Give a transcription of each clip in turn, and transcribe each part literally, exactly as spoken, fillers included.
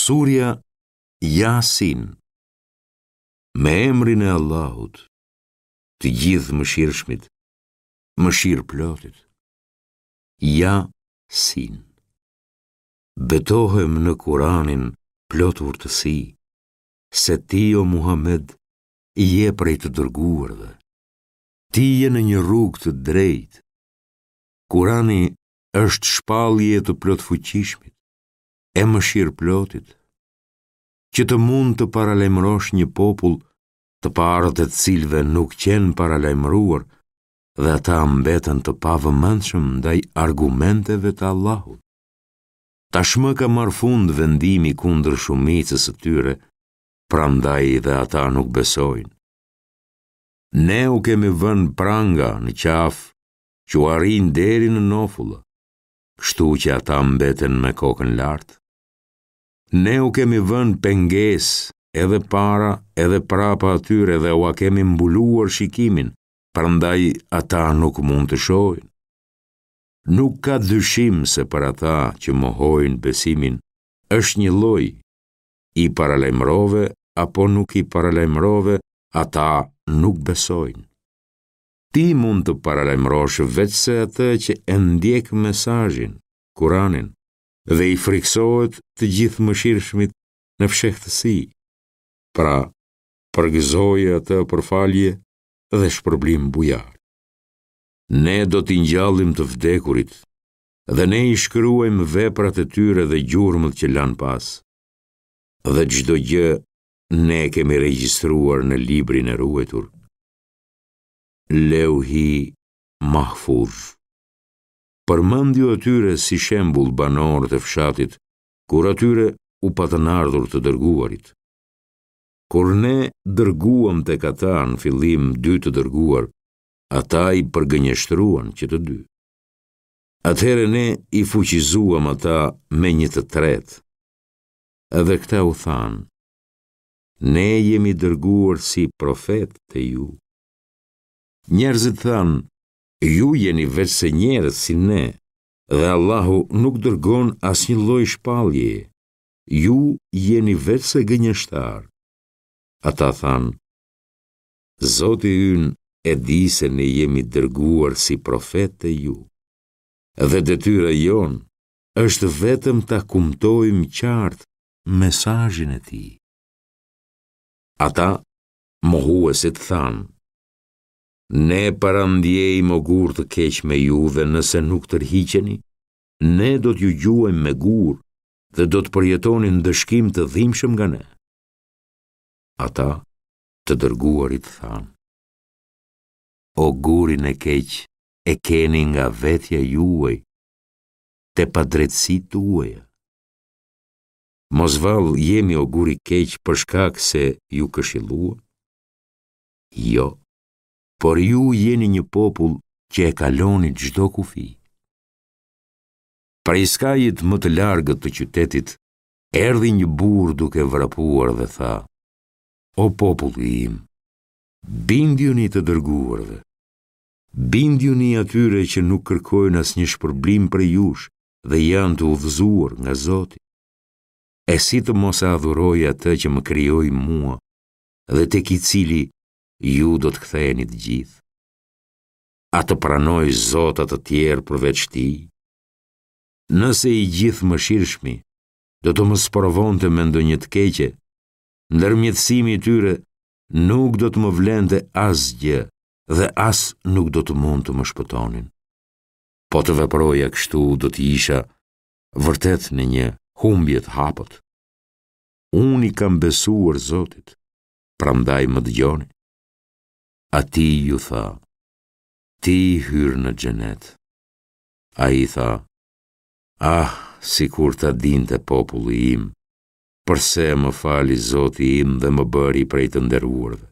Surja Jasin. Me emrin e Allahut, të Gjithëmëshirshmit, mëshirëplotit. Jasin. Betohem në Kuranin plot urtësi, se ti o Muhamed je prej të dërguarve. Ti je në një rrugë të drejtë. Kurani është shpallje e të plotfuqishmit, e mëshirëplotit, që të mund të paralajmërosh një popull të parët e të cilëve nuk qenë paralajmëruar dhe ata mbetën të pavëmendshëm ndaj argumenteve të Allahut. Tashmë ka marrë fund vendimi kundër shumicës së tyre, prandaj dhe ata nuk besojnë. Ne u kemi vënë pranga në qafë që u arrijnë deri në nofulla, kështu që ata mbeten me kokën lart. Ne u kemi vënë pengesë edhe para edhe prapa atyre dhe ua kemi mbuluar shikimin, prandaj ata nuk mund të shohin. Nuk ka dyshim se për ata që mohojnë besimin është një lloj, i paralajmërove apo nuk i paralajmërove, ata nuk besojnë. Ti mund të paralajmërosh veçse atë që e ndjek mesazhin, Kuranin, dhe i frikësohet të Gjithëmëshirshmit në fshehtësi. Pra, përgëzoje atë për falje dhe shpërblim bujar. Ne do t'i ngjallim të vdekurit dhe ne i shkruajmë veprat e tyre dhe gjurmët që lanë pas. Dhe çdo gjë ne e kemi regjistruar në librin e ruajtur. Leuhi Mahfudh. Përmendju atyre si shembull banorët e fshatit, kur atyre u patën ardhur të dërguarit. Kur ne dërguam tek ata në fillim dy të dërguar, ata i përgënjeshtruan që të dy. Atëherë ne i fuqizuam ata me një të tretë. Edhe këta u thanë, ne jemi dërguar si profetë te ju. Njerëzit thanë, ju jeni veçse njerëz si ne, dhe Allahu nuk dërgon asnjë lloj shpalljeje. Ju jeni veçse gënjeshtar. Ata thanë, Zoti ynë e di se ne jemi dërguar si profetë te ju, dhe detyra jonë është vetëm ta kumtojmë qartë mesazhin e tij. Ata, mohuesit, thanë, ne parandjejmë ogur të keq me ju dhe nëse nuk tërhiqeni, ne do t'ju gjuajmë me gurë dhe do të përjetoni ndëshkim të dhimbshëm nga ne. Ata, të dërguarit, thanë, ogurin e keq e keni nga vetja juaj, te padrejtësitë tuaja. Mos vallë jemi ogur i keq për shkak se ju këshilluam? Jo, por ju jeni një popull që e kaloni çdo kufi. Prej skajit më të largët të qytetit, erdhi një burrë duke vrapuar dhe tha, o populli im, bindjuni të dërguarve, bindjuni atyre që nuk kërkojnë asnjë shpërblim prej jush dhe janë të udhëzuar nga Zoti. E si të mos e adhuroj atë që më krijoi mua dhe tek i cili ju do të ktheheni të gjithë? A të pranoj zota të tjerë përveç tij? Nëse i Gjithëmëshirshmi do të më sprovonte me ndonjë të keqe, ndërmjetësimi i tyre nuk do të më vlente asgjë dhe as nuk do të mund të më shpëtonin. Po të veproja kështu do të isha vërtet në një humbje të hapët. Unë i kam besuar Zotit, prandaj më dëgjoni. Atij ju tha, ti hyrë në xhenet. Ai tha, ah, sikur ta dinte populli im, përse më fali Zoti im dhe më bëri prej të nderuarve.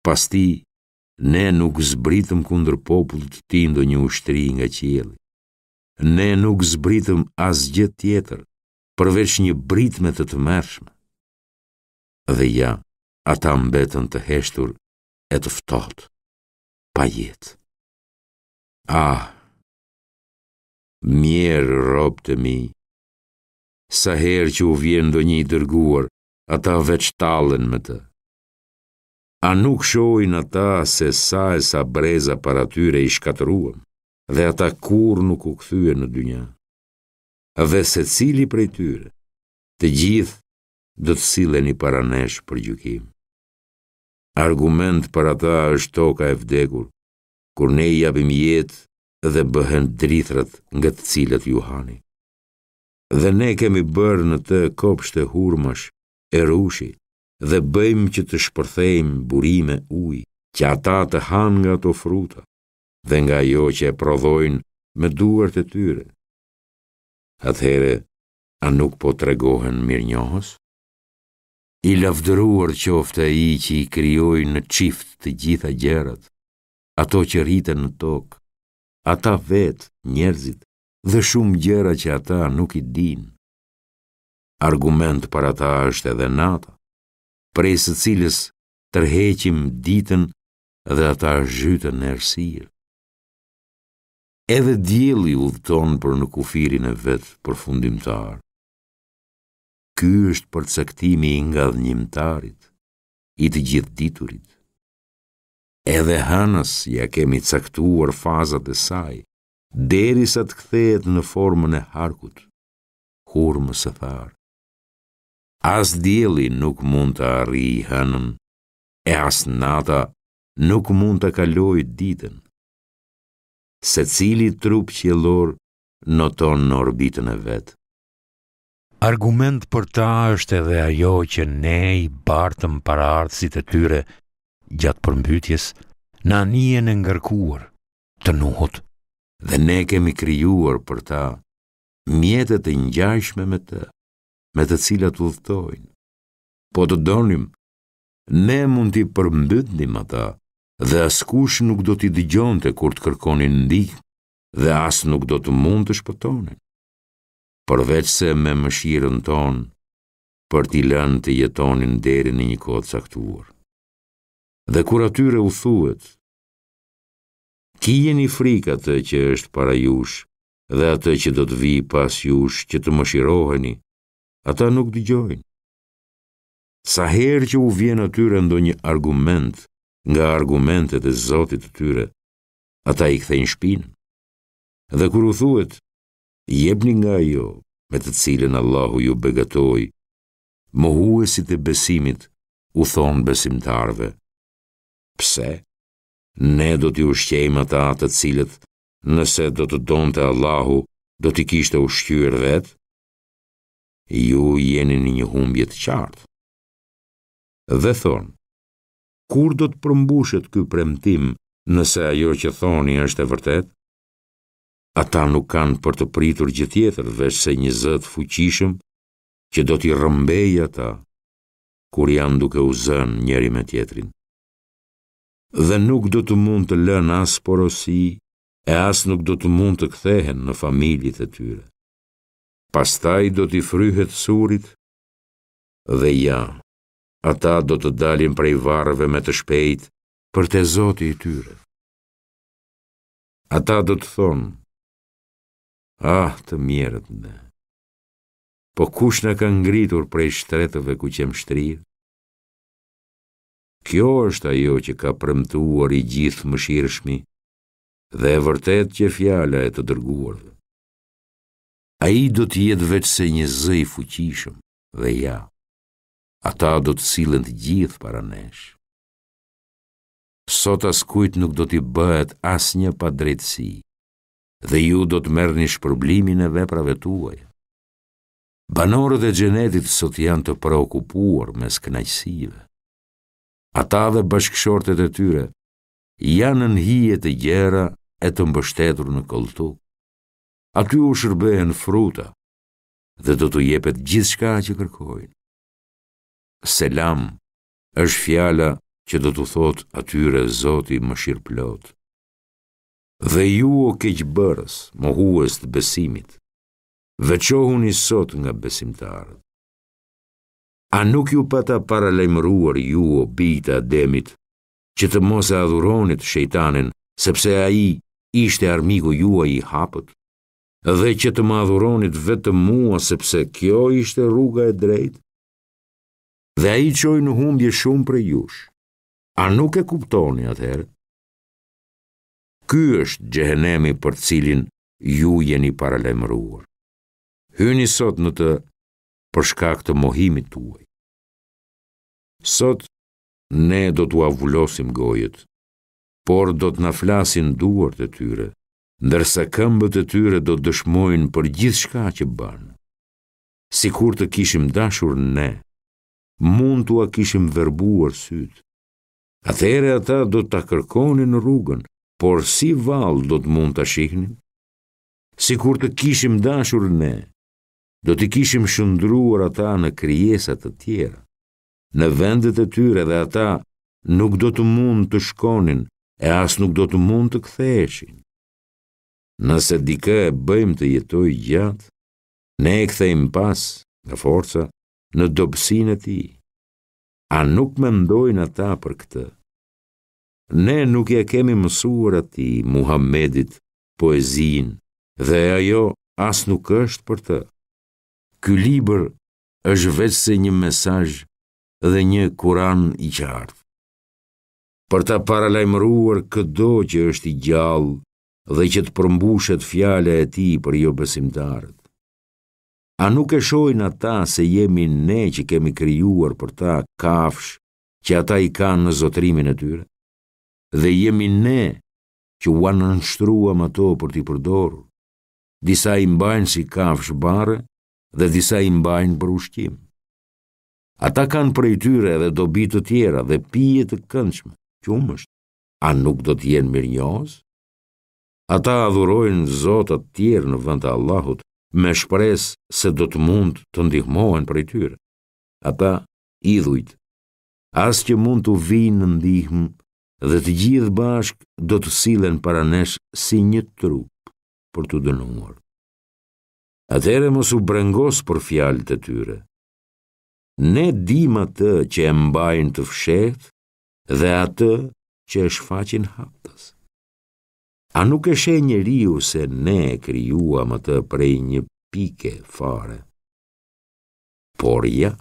Pas tij, ne nuk zbritëm kundër popullit të tij ndonjë ushtri nga qielli. Ne nuk zbritëm asgjë tjetër, përveç një britme të tmerrshme. Dhe ja, ata mbetën të heshtur e të ftohtë, pa jetë. Ah, mjerë robët e mi, Sa herë që u vjen ndonjë i dërguar, ata veç tallen me të. A nuk shohin ata se sa e sa breza para tyre i shkatërruam dhe ata kurrë nuk u kthyen në dynja. Dhe secili prej tyre, të gjithë do të silleni para nesh për gjykim. Argument për ata është toka e vdekur, kur ne i japim jetë dhe bëhen drithërat nga të cilat ju hani. Dhe ne kemi bërë në të kopshte hurmash e rrushi dhe bëjmë që të shpërthejnë burime uji, që ata të hanë nga ato fruta dhe nga ajo që e prodhojnë me duart e tyre. Atëherë, a nuk po tregohen mirënjohës? I lavdëruar qoftë ai që i krijoi në çift të gjitha gjërat, ato që rriten në tokë, ata vetë, njerëzit, dhe shumë gjëra që ata nuk i dinë. Argument për ata është edhe nata, prej së cilës tërheqim ditën dhe ata zhyten në errësirë. Edhe dielli udhëton për në kufirin e vet përfundimtar. Ky është përcaktimi i ngadhënjimtarit, i të gjithëditurit. Edhe hënës ia kemi caktuar fazat e saj, derisa të kthehet në formën e harkut, hurmës së tharë. As dielli nuk mund të arrijë hënën, e as nata nuk mund ta kalojë ditën. Secili trup qiellor noton në orbitën e vet. Argument për ta është edhe ajo që ne i bartëm paraardhësit e tyre gjatë përmbytjes në anijen e ngarkuar të Nuhut. Dhe ne kemi krijuar për ta mjete të ngjashme me të, me të cilat udhëtojnë. Po të donim, ne mund t'i përmbytnim ata dhe askush nuk do t'i dëgjonte kur të kërkonin ndihmë dhe as nuk do të mund të shpëtonin. Përveçse me mëshirën tonë, për t'i lënë të jetonin deri në një kohë të caktuar. Dhe kur atyre u thuhet, kijeni frikë atë që është para jush dhe atë që do të vijë pas jush që të mëshiroheni, ata nuk dëgjojnë. Sa herë që u vjen atyre ndonjë argument nga argumentet e Zotit të tyre, ata i kthejnë shpinën. Dhe kur u thuhet, jepni nga ajo me të cilën Allahu ju begatoi, mohuesit e besimit u thonë besimtarëve, pse? Ne do t'i ushqejmë ata të cilët, nëse do të donte Allahu, do t'i kishte ushqyer vetë? Ju jeni në një humbje të qartë. Dhe thonë, kur do të përmbushet ky premtim nëse ajo që thoni është e vërtetë? Ata nuk kanë për të pritur gjë tjetër veçse një zë të fuqishëm që do t'i rrëmbejë ata kur janë duke u zënë njëri me tjetrin. Dhe nuk do të mund të lënë as porosi e as nuk do të mund të kthehen në familjet e tyre. Pastaj do t'i fryhet surit dhe ja, ata do të dalin prej varreve me të shpejtë për te Zoti i tyre. Ata do të thonë, ah, të mjerët ne, po kush na ka ngritur prej shtretëve ku qemë shtrirë? Kjo është ajo që ka premtuar i Gjithëmëshirshmi dhe e vërtetë qe fjala e të dërguarve. Ai do të jetë veçse një zë i fuqishëm dhe ja, ata do të sillen të gjithë para nesh. Sot askujt nuk do t'i bëhet asnjë padrejtësi dhe ju do të merrni shpërblimin e veprave tuaja. Banorët e xhenetit sot janë të preokupuar mes kënaqësive. Ata dhe bashkëshortet e tyre janë nën hije të gjera e të mbështetur në kolltuk. Aty u shërbehen fruta dhe do t'u jepet gjithçka që kërkojnë. Selam është fjala që do t'u thotë atyre Zoti mëshirëplot. Dhe ju o keqbërës, mohues të besimit, veçohuni sot nga besimtarët. A nuk ju pata paralajmëruar ju o bijtë e Ademit, që të mos e adhuronit shejtanin, sepse ai ishte armiku juaj i hapët? dhe që të më adhuronit vetëm mua sepse kjo ishte rruga e drejtë? Dhe ai çoi në humbje shumë prej jush. A nuk e kuptoni atëherë? Ky është xhehenemi për të cilin ju jeni paralajmëruar. Hyni sot në të për shkak të mohimit tuaj. Sot ne do t'ua vulosim gojët, por do të na flasin duart e tyre, ndërsa këmbët e tyre do të dëshmojnë për gjithçka që bënë. Sikur të kishim dashur ne, mund t'ua kishim verbuar sytë. Atëherë ata do ta kërkonin rrugën, por si vallë do të mund ta shihnin? Sikur të kishim dashur ne, do t'i kishim shndërruar ata në krijesa të tjera. Në vendet e tyre dhe ata nuk do të mund të shkonin e as nuk do të mund të ktheheshin. Nëse dikë e bëjmë të jetojë gjatë, ne e kthejmë pas nga forca në dobësinë e tij. A nuk mendojnë ata për këtë? Ne nuk ia kemi mësuar atij, Muhammedit, poezinë, dhe ajo as nuk është për të. Ky libër është veçse një mesazh dhe një Kuran i qartë. Për ta paralajmëruar këdo që është i gjallë dhe që të përmbushet fjala e tij për jobesimtarët. A nuk e shohin ata se jemi ne që kemi krijuar për ta kafshë që ata i kanë në zotërimin e tyre? Dhe jemi ne që ua nënshtruam ato për t'i përdorur. Disa i mbajnë si kafshë barre dhe disa i mbajnë për ushqim. Ata kanë prej tyre edhe dobi të tjera dhe pije të këndshme, qumësht. A nuk do të jenë mirënjohës? Ata adhurojnë zota të tjerë në vend të Allahut, me shpresë se do të mund të ndihmohen prej tyre. Ata, idhujt, as që mund t'u vijnë në ndihmë dhe të gjithë bashkë do të sillen para nesh si një trup për t'u dënuar. Atëherë mos u brengos për fjalët e tyre. Ne dimë atë që e mbajnë të fshehtë dhe atë që e shfaqin haptas. A nuk e sheh njeriu se ne e krijuam atë prej një pike fare? Por ja,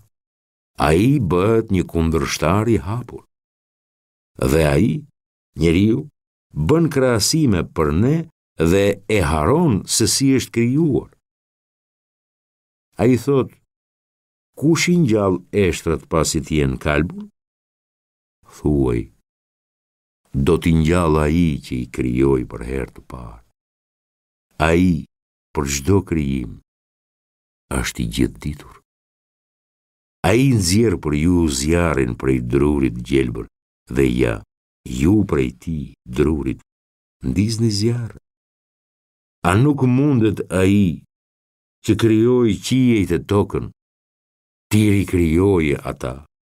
ai bëhet një kundërshtar i hapur. Dhe ai, njeriu, bën krahasime për ne dhe e harron se si është krijuar. Ai thotë, kush i ngjall eshtrat pasi të jenë kalbur? Thuaj, do t'i ngjall ai që i krijoi për herë të parë. Ai për çdo krijim është i gjithëditur. Ai nxjerr për ju zjarrin prej drurit gjelbër dhe ja, ju prej tij, drurit, ndizni zjarr. A nuk mundet ai që krijoi qiejt e tokën, t'i rikrijojë ata,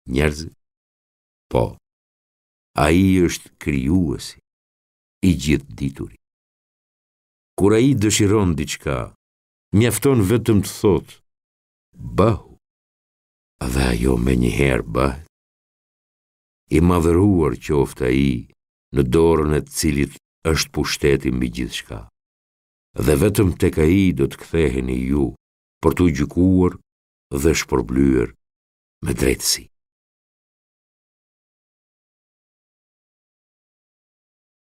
njerëzit? Po, ai është krijuesi, i gjithëdituri. Kur ai dëshiron diçka, mjafton vetëm të thotë, bëhu, dhe ajo menjëherë bëhet. I madhëruar qoftë ai në dorën e të cilit është pushteti mbi gjithçka. Dhe vetëm tek ai do të ktheheni ju për t'u gjykuar dhe shpërblyer me drejtësi.